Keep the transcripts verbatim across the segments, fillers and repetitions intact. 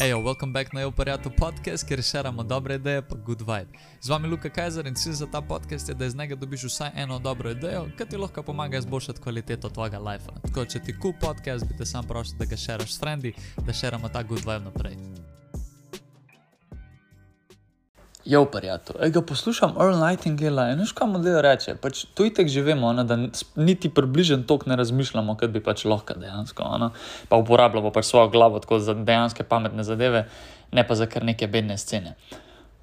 Ejo, welcome back na Joparjatu podcast, kjer šeramo dobre ideje pa good vibe. Z vami Luka Kajzer in cilj za ta podcast je, da iz njega dobiš vsaj eno dobro idejo, ki ti lahko pomaga izboljšati kvaliteto tvojega lifea. Tako, če ti cool podcast, bi te sam prosil, da ga šeraš s frendi, da šeramo ta good vibe naprej. Joparjatu, ej ga poslušam Earl Nightingale in veš, kaj model reče, pač to itek že vemo, ona, da niti približen tok ne razmišljamo, kot bi pač lahko dejansko, ona, pa uporabljamo pač svojo glavo tako za dejanske pametne zadeve, ne pa za kar neke bedne scene.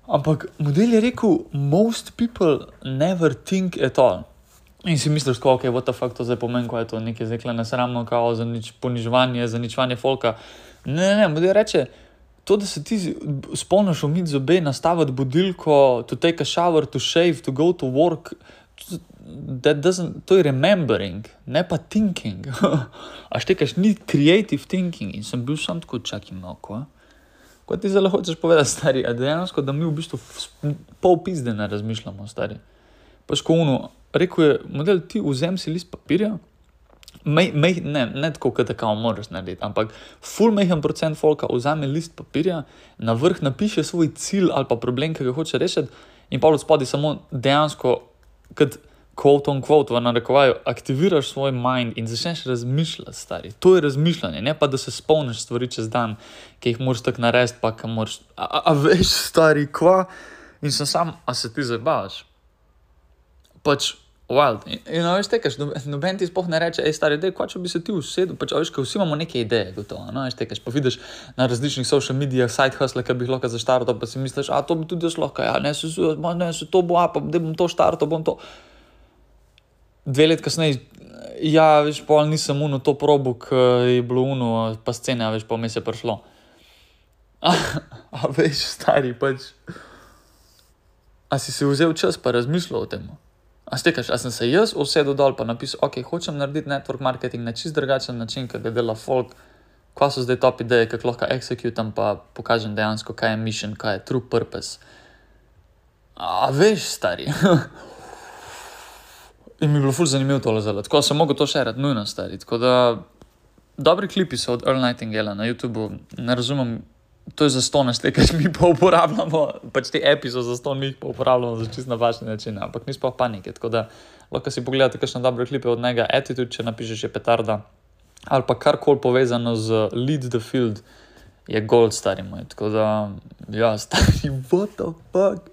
Ampak model je rekel, most people never think at all. In si misliš, tako, ok, what the fuck to zdaj pomeni, ko je to nekaj zdaj nesramno, kao za nič poniževanje, za ničvanje folka. Ne, ne, ne, model reče, to, da se ti spomniš umiti zobe, nastaviti budilko, to take a shower, to shave, to go to work, that doesn't, to je remembering, ne pa thinking. A štekaš, ni creative thinking. In sem bil sam tako, čakaj malo, ko? Ko ti zelo hočeš povedati, stari, a dejansko, da mi v bistvu pol pizde ne razmišljamo, stari. Pač ko ono, rekel je, model, ti vzem si list papirja, Mej, mej, ne, ne tako, kot tako moraš narediti, ampak ful mehen procent folka vzame list papirja, na vrh napiše svoj cilj ali pa problem, ki ga hoče rešiti in pa od spodaj samo dejansko, kot quote on quote, v narekovaju, aktiviraš svoj mind in začneš razmišljati, stari. To je razmišljanje, ne pa da se spomniš stvari čez dan, ki jih moraš tako narediti, pa ki moraš, a, a, a veš, stari, kva? In sem sam, a se ti zabavaš? Pač, wild. In, in veš, tekaš, noben ti spoh ne reče, ej, stari, dej, kva, če bi se ti usedel, pač, veš, ko vsi imamo neke ideje, gotovo, no, veš, tekaš, pa vidiš na različnih social medijah, side hustle, ki bi jih lahko zaštartal, pa si misliš, a, to bi tudi jaz lahko, ja, ne, se, ne, se to bo, a, pa, da bom to štartal, bom to. Dve let kasneje, ja, veš, pol nisem uno to probo, ki je bilo uno, pa scene, a veš, pa vmes je prišlo. A, a veš, stari, pač, a si si vzel čas pa razmišljal o tem? A stekaš, a sem se jaz usedel dol pa napisal, ok, hočem narediti network marketing na čist drugačen način, kaj ga dela folk, kva so zdaj top ideje, kako lahko executam pa pokažem dejansko, kaj je mission, kaj je true purpose. A veš, stari. In mi je bilo ful zanimivo tole zelo, tako sem mogel to šerati, nujno, stari. Tako da, dobri klipi so od Earl Nightingale na YouTubeu, ne razumem, to je zastonj, stekaš, mi pa uporabljamo, pač te epi so zastonj, mi jih pa uporabljamo za čist napačne načine, ampak ni sploh panike, tako da lahko si pogledate kakšne dobre klipe od njega, Attitude, če napišeš je petarda, ali pa karkoli povezano z Lead the Field, je gold, stari moj, tako da, ja, stari, what the fuck?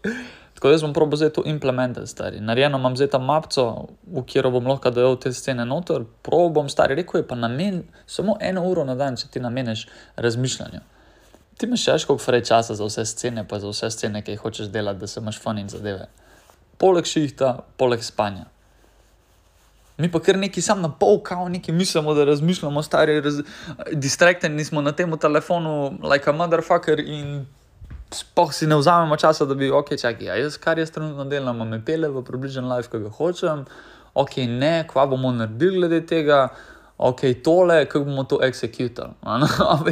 Tako da jaz bom probal zdaj to implementati, stari. Narejeno imam zdaj ta mapco, v kjero bom lahko dojel te scene noter, probal bom, stari, rekel je pa namen, samo eno uro na dan, če ti nameneš razmišljanju. Ti imaš še koliko frej časa za vse scene, pa za vse scene, ki jih hočeš delati, da se imaš fun in zadeve. Poleg šihta, poleg spanja. Mi pa kar neki sam na pol, kao neki mislimo, da razmišljamo, stari, raz... distrakteni smo na temu telefonu, like a motherfucker in spoh si ne vzamemo časa, da bi, ok, čakaj, a jaz kar jaz trenutno delam, me pele v približen life, ki ga hočem, ok, ne, kva bomo naredili glede tega, ok, tole, kako bomo to executali.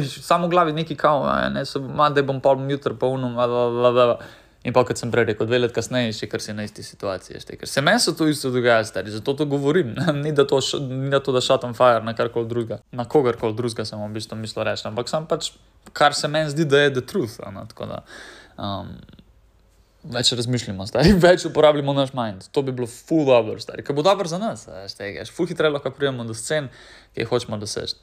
Samo v glavi neki kao, ne, so, ma, da bom pa jutro pa unom, in pa kot sem prej rekel, dve let kasneje, še kar si na isti situaciji, ker se meni so to isto dogaja, stari, zato to govorim, ni da to, ni da to da shot on fire na karkoli drugega, na kogarkoli drugega sem v bistvu mislil reči, ampak sem pač, kar se meni zdi, da je the truth, ano, tako da, um, več razmišljamo, stari, več uporabljamo naš mind, to bi bilo full dobro, stari, ker bo dobro za nas, stari, ful hitreje lahko prijemo do scen, ki jih hočemo doseči.